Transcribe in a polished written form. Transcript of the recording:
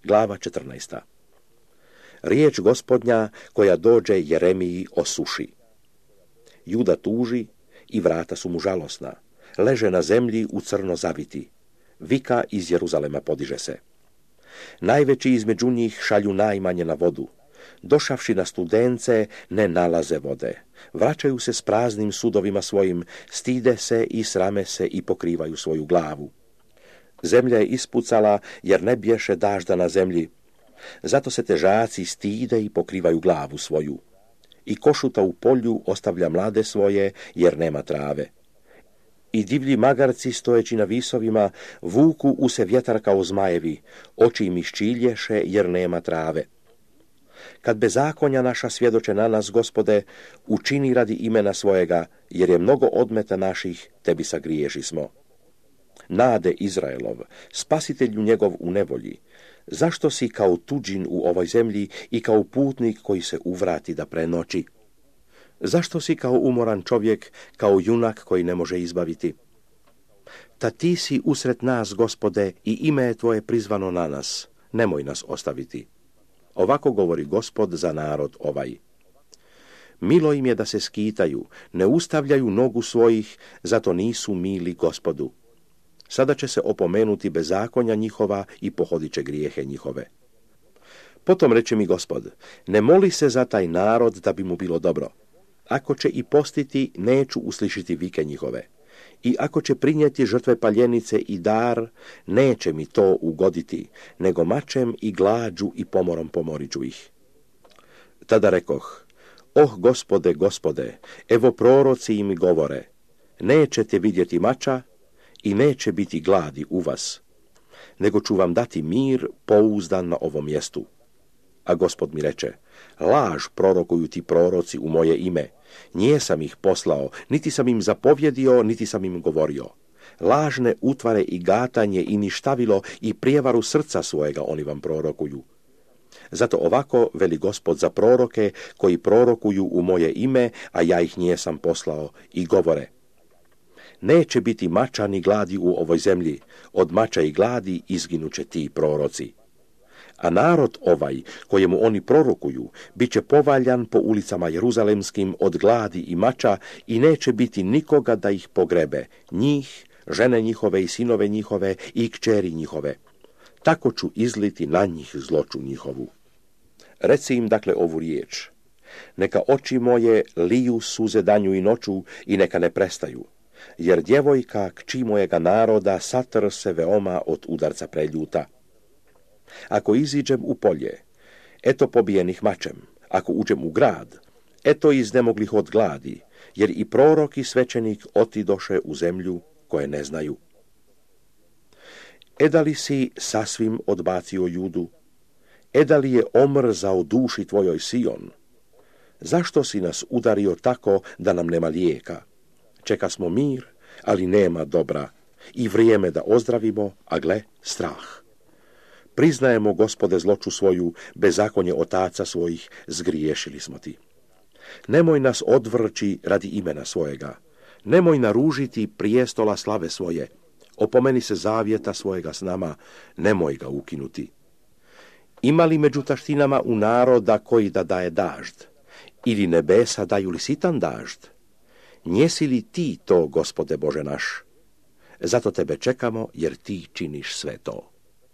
Glava 14. Riječ Gospodnja koja dođe Jeremiji o suši. Juda tuži i vrata su mu žalosna. Leže na zemlji u crno zaviti. Vika iz Jeruzalema podiže se. Najveći između njih šalju najmanje na vodu. Došavši na Studence, ne nalaze vode. Vraćaju se s praznim sudovima svojim, stide se i srame se i pokrivaju svoju glavu. Zemlja je ispucala, jer ne bješe dažda na zemlji. Zato se težaci stide i pokrivaju glavu svoju. I košuta u polju ostavlja mlade svoje, jer nema trave. I divlji magarci, stojeći na visovima, vuku u se vjetar kao zmajevi, oči im iščilješe, jer nema trave. Kad bezakonja naša svjedoče na nas, Gospode, učini radi imena svojega, jer je mnogo odmeta naših, tebi sagriješi smo. Nade Izraelov, spasitelju njegov u nevolji, zašto si kao tuđin u ovoj zemlji i kao putnik koji se uvrati da prenoći? Zašto si kao umoran čovjek, kao junak koji ne može izbaviti? Ta ti si usred nas, Gospode, i ime je tvoje prizvano na nas, nemoj nas ostaviti. Ovako govori Gospod za narod ovaj. Milo im je da se skitaju, ne ustavljaju nogu svojih, zato nisu mili Gospodu. Sada će se opomenuti bezakonja njihova i pohodit će grijehe njihove. Potom reče mi Gospod, ne moli se za taj narod da bi mu bilo dobro. Ako će i postiti, neću uslišiti vike njihove. I ako će prinijeti žrtve paljenice i dar, neće mi to ugoditi, nego mačem i glađu i pomorom pomoriću ih. Tada rekoh, Gospode, Gospode, evo proroci im govore, nećete vidjeti mača i neće biti gladi u vas, nego ću vam dati mir pouzdan na ovom mjestu. A Gospod mi reče, laž prorokuju ti proroci u moje ime. Nije sam ih poslao, niti sam im zapovjedio, niti sam im govorio. Lažne utvare i gatanje i ništavilo i prijevaru srca svojega oni vam prorokuju. Zato ovako veli Gospod za proroke koji prorokuju u moje ime, a ja ih nijesam poslao, i govore. Neće biti mača ni gladi u ovoj zemlji, od mača i gladi izginuće ti proroci. A narod ovaj, kojemu oni prorokuju, bit će povaljan po ulicama jeruzalemskim od gladi i mača i neće biti nikoga da ih pogrebe, njih, žene njihove i sinove njihove i kćeri njihove. Tako ću izliti na njih zloću njihovu. Reci im dakle ovu riječ. Neka oči moje liju suze danju i noću i neka ne prestaju, jer djevojka kći mojega naroda satr se veoma od udarca preljuta. Ako iziđem u polje, eto pobijenih mačem, ako uđem u grad, eto iznemoglih od gladi, jer i prorok i svećenik otidoše u zemlju koje ne znaju. Da li si sasvim odbacio Judu? Da li je omrzao duši tvojoj Sion? Zašto si nas udario tako da nam nema lijeka? Čeka smo mir, ali nema dobra, i vrijeme da ozdravimo, a gle, strah. Priznajemo, Gospode, zloću svoju, bezakonje otaca svojih, zgriješili smo ti. Nemoj nas odvrći radi imena svojega. Nemoj naružiti prijestola slave svoje. Opomeni se zavjeta svojega s nama, nemoj ga ukinuti. Ima li među taštinama u naroda koji da daje dažd? Ili nebesa daju li sitan dažd? Njesi li ti to, Gospode Bože naš? Zato tebe čekamo, jer ti činiš sve to.